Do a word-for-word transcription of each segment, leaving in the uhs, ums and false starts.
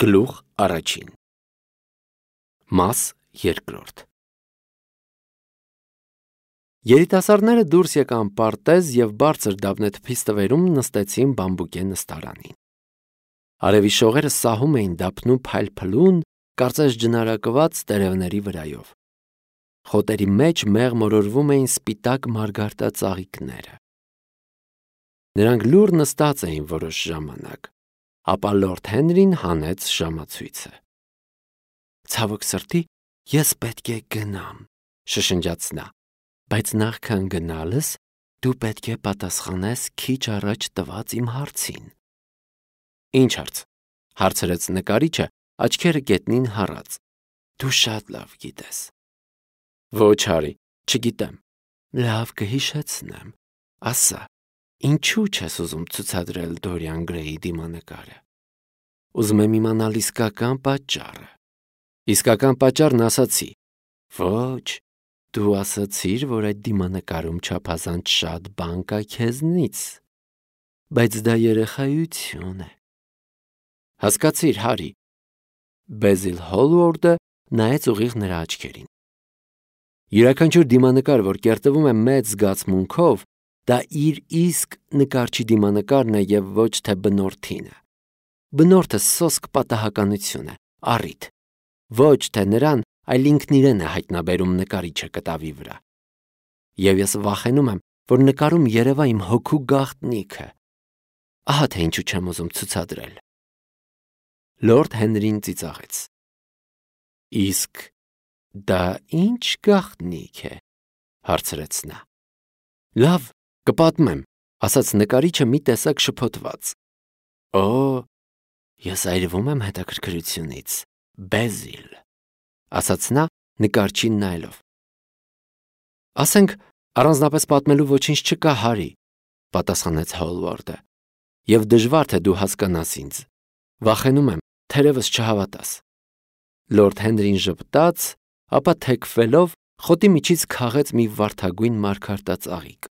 Գլուխ առաջին Մաս երկրորդ Երիտասարդները դուրս եկան պարտեզ և բարձր դափնեթփի ստվերում նստեցին բամբուկե նստարանին։ Արևի շողերը սահում էին դափնու փայլփլուն, կարծես ջնարակված տերևների վրայով։ Խոտերի մեջ մեղմորորվում էին սպիտակ մարգարտածաղիկները։ Նրանք լուռ նստած էին որոշ ժամանակ, ապա լորդ Հենրին հանեց ժամացույցը։ «Ցավոք սրտի, ես պետք է գնամ», շշնջաց նա, «բայց նախքան գնալս դու պետք է պատասխանես քիչ առաջ տված իմ հարցին»։ «Ինչ հարց»՝ հարցրեց նկարիչը, աչքերը գետնին հառած։ «Դու շատ լավ գիտես»։ «Ոչ, հարի, չգիտեմ»։ «Լավ, կհիշեցնեմ, ասա, ինչու չես ուզում ցուցադրել Դորիան Գրեյի դիմանկարը»։ «Ուզում եմ իմանալ իսկական պատճառը»։ «Իսկական պատճառն ասացի»։ «Ոչ, դու ասացիր, որ այդ դիմանկարում չափազանց շատ բան կա քեզնից, բայց դա երեխայություն է»։ «Հասկացիր, հարի»։ Բեզիլ Հոլվորդը նայեց ուղիղ նրա աչքերին։ Յուրաքանչյուր դիմանկար, որ կերտվում է մեծ զգացմունքով, դա իր իսկ նկարչի դիմանկարն է և ոչ թե բնորդինը։ Բնորդը սոսկ պատահականություն է, առիթ։ Ոչ թե նրան, այլ ինքն իրեն է հայտնաբերում նկարիչը կտավի վրա։ Եվ ես վախենում եմ, որ նկարում երևա իմ հոգու գաղտնիքը։ Ահա թե ինչու չեմ ուզում ցուցադրել։ Լորդ Հենրին ծիծաղեց։ «Իսկ դա ի՞նչ գաղտնիք է», հարցրեց նա։ «Լավ, կպատմեմ», ասաց նկարիչը մի տեսակ շփոթված։ «Օ, ես այրվում եմ հետաքրքրությունից, Բեզիլ», ասաց նա նկարչին նայելով։ «Ասենք, առանձնապես պատմելու ոչինչ չկա, հարի», պատասխանեց Հոլվորդը, «և դժվար թե դու հասկանաս ինձ։ Վախենում եմ, թերևս չհավատաս»։ Լորդ Հենրին ժպտաց, ապա թեքվելով խոտի միջից քաղեց մի վարդագույն մարգարտածաղիկ։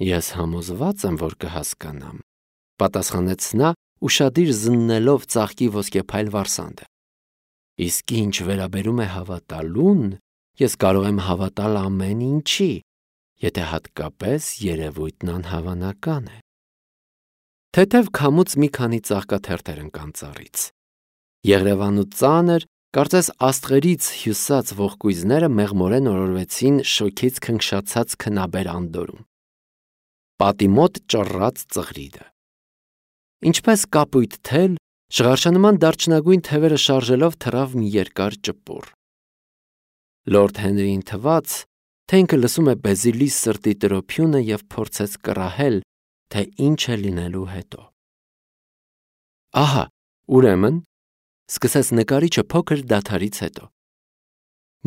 «Ես համոզված եմ, որ կհասկանամ», պատասխանեց նա, ուշադիր զննելով ծաղկի ոսկեփայլ վարսանդը։ «Իսկ ինչ վերաբերում է հավատալուն, ես կարող եմ հավատալ ամեն ինչի, եթե հատկապես երևույթն անհավանական է»։ Թեթև քամուց մի քանի ծաղկաթերթեր ընկան ծառից։ Եղրևան ու ծանր, կարծես աստղերից հյուսած ողկույզները մեղմորեն օրորվեցին շոգից քնքշացած քնաբեր անդորրում։ Պատի մոտ ճռռաց ծղրիդը։ Ինչպես կապույտ թել, շղարշանման դարչնագույն թևերը շարժելով թռավ մի երկար ճպուռ։ Լորդ Հենրիին թվաց, թե ինքը լսում է Բեզիլի սրտի տրոփյունը և փորձեց կռահել, թե ինչ է լինելու հետո։ «Ահա, ուրեմն», սկսեց նկարիչը փոքր դադարից հետո,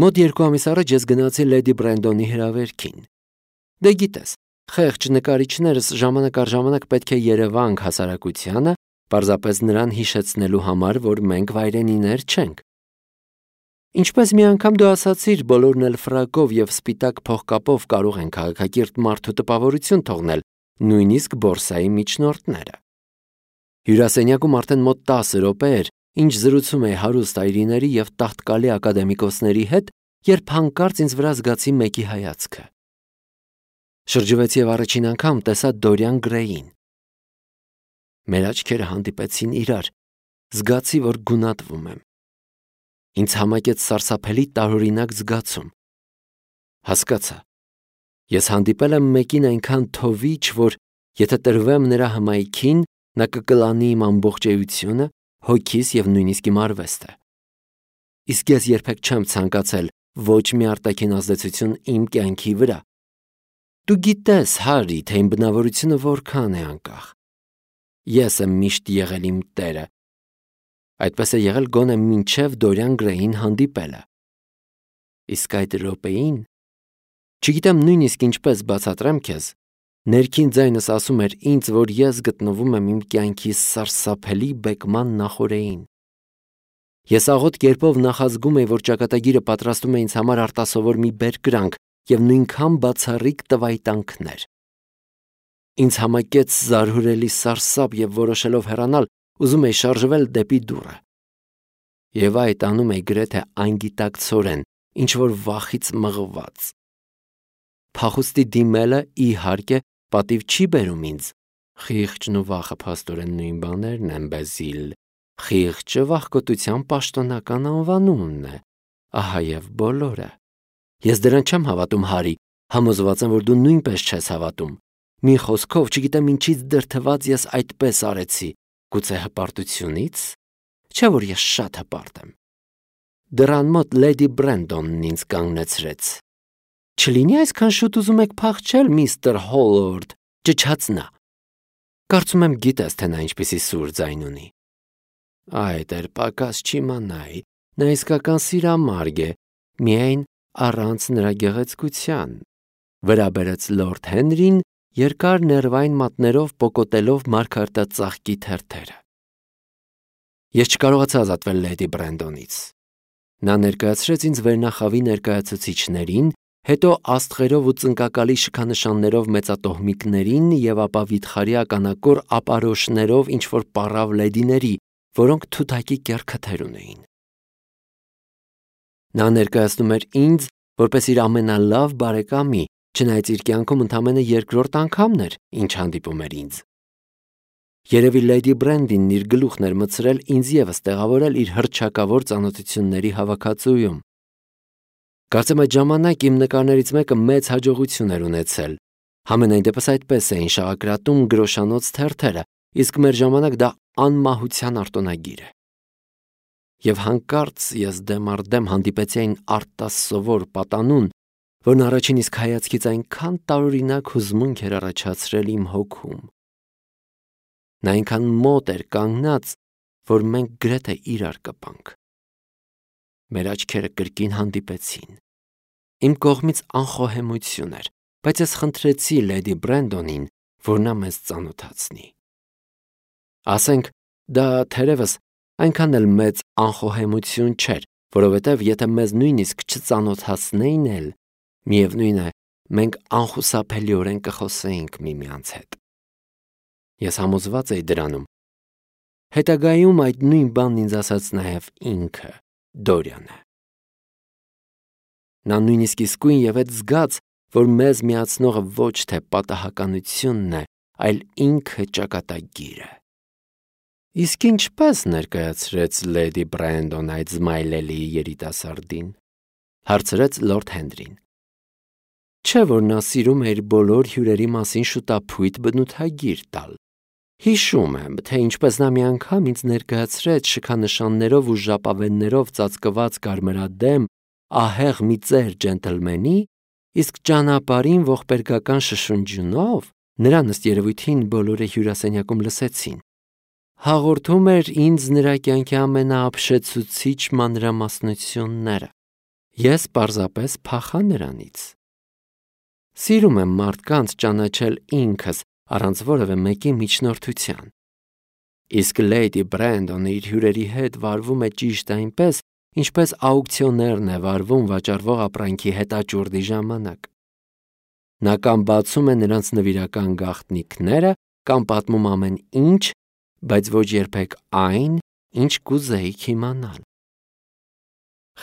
«մոտ երկու ամիս առաջ ես գնացի լեդի Բրենդոնի հրավերքին։ Դե գիտես, խեղճ նկարիչներս ժամանակ առ ժամանակ պետք է երևանք հասարակությանը, պարզապես նրան հիշեցնելու համար, որ մենք վայրենիներ չենք։ Ինչպես մի անգամ դու ասացիր, բոլորն էլ ֆրակով և սպիտակ փողկապով կարող են քաղաքակիրթ մարդու տպավորություն թողնել, նույնիսկ բորսայի միջնորդները։ Հյուրասենյակում արդեն մոտ տասը րոպե էր, ինչ զրուցում էի հարուստ այրիների և տաղտկալի ակադեմիկոսների հետ, երբ հանկարծ ինձ վրա զգացի մեկի հայացքը։ Շրջվեցի և առաջին անգամ տեսա Դորիան Գրեյին։ Մեր աչքերը հանդիպեցին իրար, զգացի, որ գունատվում եմ։ Ինձ համակեց սարսափելի տարօրինակ զգացում։ Հասկացա, ես հանդիպել եմ մեկին այնքան թովիչ, որ եթե տրվեմ նրա հմայքին, նա կկլանի իմ ամբողջ էությունը, հոգիս և նույնիսկ իմ արվեստը։ Իսկ ես երբեք չեմ ցանկացել ոչ մի արտաքին ազդեցություն իմ կյանքի վրա։ Դու գիտես, հարի, թե իմ բնավորությունը որքան է անկախ։ Ես եմ միշտ եղել իմ տերը։ Այդպես է եղել գոնե մինչև Դորիան Գրեյին հանդիպելը։ Իսկ այդ րոպեին, չգիտեմ նույնիսկ ինչպես բացատրեմ քեզ, ներքին ձայնս ասում էր ինձ, որ ես գտնվում եմ իմ կյանքի սարսափելի բեկման նախօրեին։ Ես աղոտ կերպով նախազգում էի, որ ճակատագիրը պատրաստում է ինձ համար արտասովոր մի բերկրանք և նույնքան բացառիկ տվայտանքներ։ Ինձ համակեց զարհուրելի սարսափ և որոշելով հեռանալ, ուզում էի շարժվել դեպի դուռը։ Եվ այդ անում էի գրեթե անգիտակցորեն, ինչ որ վախից մղված։ Փախուստի դիմելը, իհարկե, պատիվ չի բերում ինձ։ Խիղճն ու վախը փաստորեն նույն բաներն են, Բեզիլ։ Խիղճը վախկոտության պաշտոնական անվանումն է, ահա եւ բոլորը։ Ես դրան չեմ հավատում, Հարի, համոզված եմ, որ դու նույնպես չես հավատում։ Մի խոսքով, չգիտեմ ինչից դրդված ես այդպես արեցի, գուցե հպարտությունից, չէ՞ որ ես շատ հպարտ եմ։ Դռան մոտ լեդի Բրենդոնն ինձ կանգնեցրեց։ Չլինի այսքան շուտ ուզում եք փախչել, միստր Հոլվարդ, ճչաց նա։ Կարծում եմ գիտես, թե նա ինչպիսի սուր ձայն ունի։ Այդ էր պակաս չիմանայի, նա իսկական սիրամարգ է, միայն առանց նրա գեղեցկության, վրա բերեց լորդ Հենրին, երկար ներվային մատներով պոկոտելով մարգարտածաղկի թերթերը։ Ես չկարողացա ազատվել լեդի Բրենդոնից։ Նա ներկայացրեց ինձ վերնախավի ներկայացուցիչներին, հետո աստղերով ու ծնկակալի շքանշաններով մեծատոհմիկներին և ապա վիթխարի ականակոր ապարոշներով ինչ-որ պառավ լեդիների, որոնք թութակի կեռ քթեր ունեին։ Նա ներկայացնում էր ինձ որպես իր ամենալավ բարեկամի, չնայած իր կյանքում ընդամենը երկրորդ անգամն էր, ինչ հանդիպում էր ինձ։ Երևի լեդի Բրենդինն իր գլուխն էր մտցրել ինձ ևս տեղավորել իր հռչակավոր ծանոթությունների հավաքածուում։ Կարծեմ այդ ժամանակ իմ նկարներից մեկը մեծ հաջողություն էր ունեցել։ Համենայն դեպս այդպես էին շաղակրատում գրոշանոց թերթերը, իսկ մեր ժամանակ դա անմահության արտոնագիր է։ Եվ հանկարծ ես դեմ առ դեմ հանդիպեցի այն արտասովոր պատանուն, որն առաջին իսկ հայացքից այնքան տարօրինակ հուզմունք էր առաջացրել իմ հոգում։ Նա այնքան մոտ էր կանգնած, որ մենք գրեթե իրար կպանք։ Մեր աչքերը կրկին հանդիպեցին։ Իմ կողմից անխոհեմություն էր, բայց ես խնդրեցի լեդի Բրենդոնին, որ նա մեզ ծանոթացնի։ Ասենք, դա թերևս այնքան էլ մեծ անխոհեմություն չէր, որովհետև եթե մեզ նույնիսկ չծանոթացնեին էլ, միևնույն է, մենք անխուսափելիորեն կխոսեինք միմյանց հետ։ Ես համոզված էի դրանում։ Հետագայում այդ նույն բանն ինձ ասաց նաև ինքը, Դորիանը։ Նա նույնիսկ իսկույն ևեթ զգաց, որ մեզ միացնողը ոչ թե պատահականությունն է, այլ ինքը ճակատագիրը։ Իսկ ինչպես ներկայացրեց լեդի Բրենդոն այդ զմայլելի երիտասարդին, հարցրեց լորդ Հենրին։ Չէ՞ որ նա սիրում է իր բոլոր հյուրերի մասին շուտափույթ բնութագիր տալ։ Հիշում եմ, թե ինչպես նա մի անգամ ինձ ներկայացրեց շքանշաններով ու ժապավեններով ծածկված կարմրադեմ, ահեղ մի ծեր ջենտլմենի, իսկ ճանապարհին ողբերգական շշնջյունով, նրան ըստ երևույթին բոլորը հյուրասենյակում լսեցին, հաղորդում էր ինձ նրա կյանքի ամենաապշեցուցիչ մանրամասնությունները։ Ես պարզապես փախա նրանից։ Սիրում եմ մարդկանց ճանաչել ինքս, առանց որևէ մեկի միջնորդության։ Իսկ լեդի Բրենդոնը իր հյուրերի հետ վարվում է ճիշտ այնպես, ինչպես աուկցիոներն է վարվում վաճառվող ապրանքի հետաճուրդի ժամանակ։ Նա կամ բացում է նրանց նվիրական գաղտնիքները, կամ պատմում ամեն ինչ, բայց ոչ երբեք այն, ինչ կուզեիք իմանալ։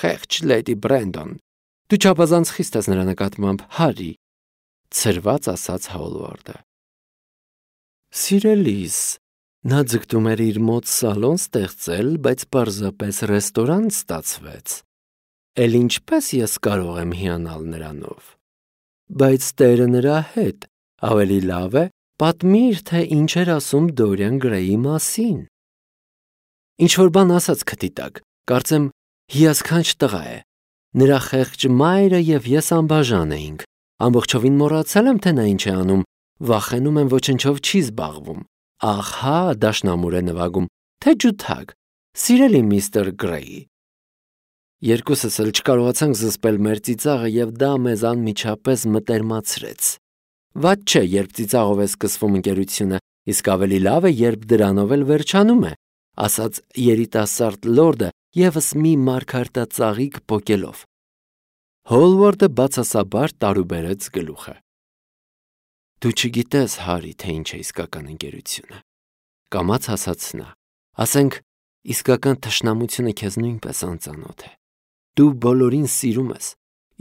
Խեղճ լեդի Բրենդոն, դու չափազանց խիստ ես նրա նկատմամբ, Հարի, ցրված ասաց Հոլվարդը։ Սիրելիս, նա ձգտում էր իր մոտ սալոն ստեղծել, բայց պարզապես ռեստորան ստացվեց։ Էլ ինչպես ես կարող եմ հիանալ նրանով։ Բայց տերը նրա հետ, ավելի լավ է, պատմիր, թե ինչ էր ասում Դորիան Գրեյի մասին։ Ինչ-որ բան ասաց քթի տակ, կարծեմ հիասքանչ տղա է։ Նրա խեղճ մայրը և ես անբաժան էինք։ Ամբողջովին մոռացել եմ, թե նա ինչ է անում, վախենում եմ ոչնչով չի զբաղվում։ Ահա դաշնամուր է նվագում, թե ջութակ, սիրելի միստր Գրեյ։ Երկուսս էլ չկարողացանք զսպել մեր ծիծաղը և դա մեզ անմիջապես մտերմացրեց։ Վատ չէ, երբ ծիծաղով է սկսվում ընկերությունը, իսկ ավելի լավ է, երբ դրանով էլ վերջանում է, ասաց երիտասարդ լորդը ևս մի մարգարտածաղիկ պոկելով։ Հոլվարդը բացասաբար տարուբերեց գլուխը։ Դու չգիտես, Հարի, թե ինչ է իսկական ընկերությունը, կամաց ասաց նա։ Ասենք, իսկական թշնամությունը քեզ նույնպես անծանոթ է։ Դու բոլորին սիրում ես,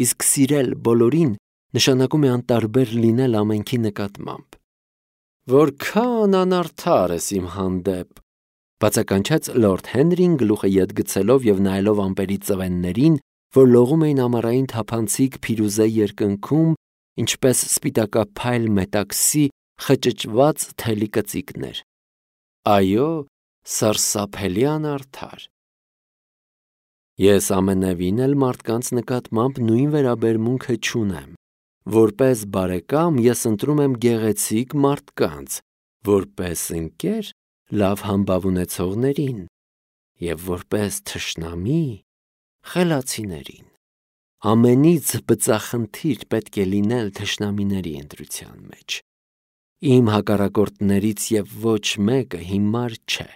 իսկ սիրել բոլորին նշանակում է անտարբեր լինել ամենքի նկատմամբ։ Որքան անարդար ես իմ հանդեպ, բացականչեց լորդ Հենրին գլուխը ետ գցելով եւ նայելով ամպերի ծվեններին, որ լողում էին ամառային թափանցիկ փիրուզե երկնքում, ինչպես սպիտակափայլ մետաքսի խճճված թելի կծիկներ։ Այո, սարսափելի անարդար։ Ես ամենևին էլ մարդկանց նկատմամբ նույն վերաբերմունքը չունեմ։ Որպես բարեկամ ես ընտրում եմ գեղեցիկ մարդկանց, որպես ընկեր լավ համբավ ունեցողներին և որպես թշնամի խելացիներին։ Ամենից բծախնդիր պետք է լինել թշնամիների ընտրության մեջ։ Իմ հակառակորդներից և ոչ մեկը հիմար չէ։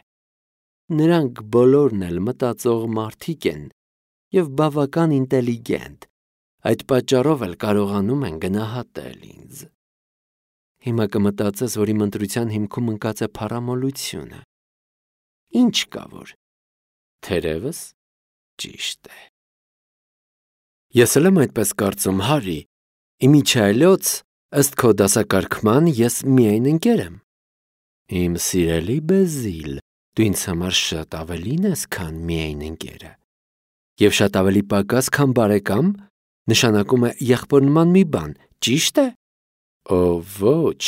Նրանք բոլորն էլ մտածող մարդիկ են և բավական ինտելիգենտ, այդ պատճառով էլ կարողանում են գնահատել ինձ։ Հիմա կմտածես, որ իմ ընտրության հիմքում ընկած է փառամոլությունը։ Ինչ կա որ։ Թերևս ճիշտ է։ Ես էլ եմ այդպես կարծում, Հարի։ Իմիջիայլոց, ըստ քո դասակարգման, ես միայն ընկեր եմ։ Իմ սիրելի Բեզիլ, դու ինձ համար շատ ավելին ես, քան միայն ընկերը։ Եվ շատ ավելի պակաս, քան բարեկամ, նշանակում է եղբոր նման մի բան, ճի՞շտ է։ Օ, ոչ,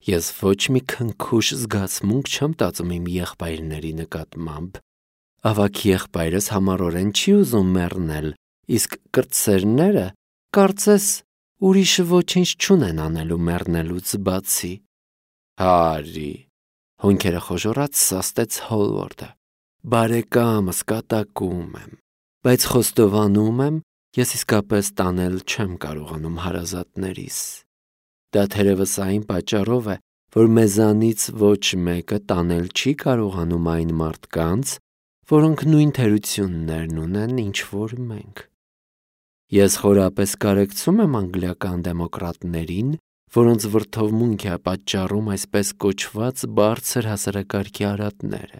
ես ոչ մի քնքուշ զգացմունք չեմ տածում իմ եղբայրների նկատմամբ։ Ավագ եղբայրս համառորեն չի ուզում մեռնել, իսկ կրտսերները, կարծես, ուրիշ ոչինչ չունեն անելու մեռնելուց բացի։ Հարի, հոնքերը խոժոռած սաստեց Հոլվորդը։ Բարեկամս, կատակում եմ, բայց խոստովանում եմ, ես իսկապես տանել չեմ կարողանում հարազատներիս։ Դա թերևս այն պատճառով է, որ մեզանից ոչ մեկը տանել չի կարողանում այն մարդկանց, որոնք նույն թերություններն ունեն, ինչ որ մենք։ Ես խորապես կարեկցում եմ անգլիական դեմոկրատներին, որոնց վրդովմունք է պատճառում այսպես կոչված բարձր հասարակարգի արատները։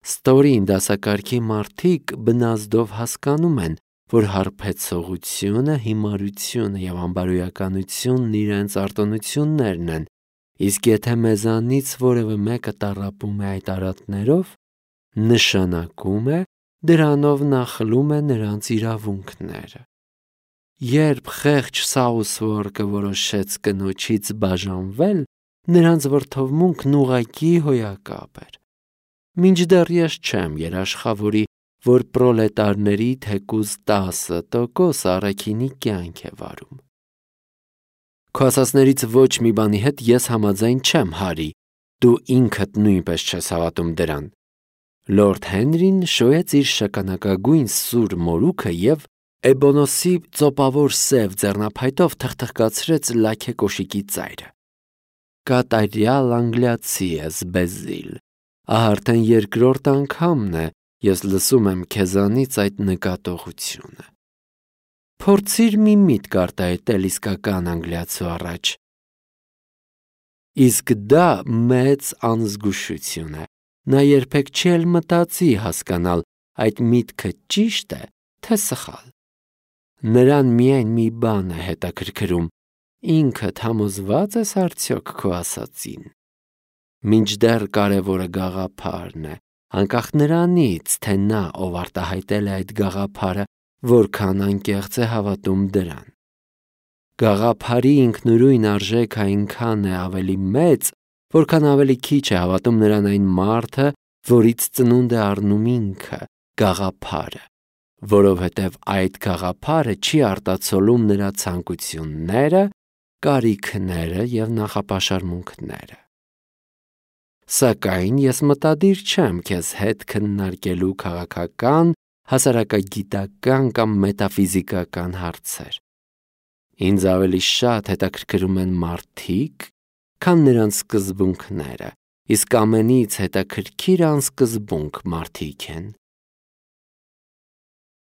Ստորին դասակարգի մարդիկ բնազդով հասկանում են, որ հարբեցողությունը, հիմարությունը և անբարոյականությունն իրենց արտոնություններն են, իսկ եթե մեզանից որևէ մեկը տառապում է այդ արատներով, նշանակում է դրանով նա խլում է նրանց իրավունքները։ Երբ խեղճ Սաուսվորկը որոշեց կնոջից բաժանվել, նրանց վրդովմունքն ուղղակի հոյակապ էր։ Մինչդեռ ես չեմ երաշխավորի, որ պրոլետարների թեկուզ տասը տոկոսը առաքինի կյանք է վարում։ Քո ասածներից ոչ մի բանի հետ ես համաձայն չեմ, Հարի, դու ինքդ նույնպես չես հավատում դրան։ Լորդ Հենրին շոյեց իր շագանակագույն սուր մորուքը և էբոնոսի ծոպավոր սև ձեռնափայտով թխթխկացրեց լաքե կոշիկի ծայրը։ Կատարյալ անգլիացի ես, Բեզիլ, ահա արդեն երկրորդ անգամն է, ես լսում եմ քեզանից այդ նկատողությունը։ Փորձիր մի միտք արտահայտել իսկական անգլիացու առաջ։ Իսկ դա մեծ անզգուշություն է։ Նա երբեք չի էլ մտածի հասկանալ այդ միտքը ճիշտ է, թե սխալ։ Նրան միայն մի բան է հետաքրքրում. ինքդ համոզվա՞ծ ես արդյոք քո ասածին։ Մինչդեռ կարևորը գաղափարն է, անկախ նրանից, թե նա, ով արտահայտել է այդ գաղափարը, որքան անկեղծ է հավատում դրան։ Գաղափարի ինքնուրույն արժեքը այնքան է ավելի մեծ, որքան ավելի քիչ է հավատում նրան այն մարդը, որից ծնունդ է առնում ինքը, գաղափարը, որովհետև այդ գաղափարը չի արտացոլում նրա ցանկությունները, կարիքները և նախապաշարմունքները։ Սակայն ես մտադիր չեմ քեզ հետ քննարկելու քաղաքական, հասարակագիտական կամ մետաֆիզիկական հարցեր։ Ինձ ավելի շատ հետաքրքրում են մարդիկ, քան նրանց սկզբունքները, իսկ ամենից հետաքրքիր անսկզբունք մարդիկ են։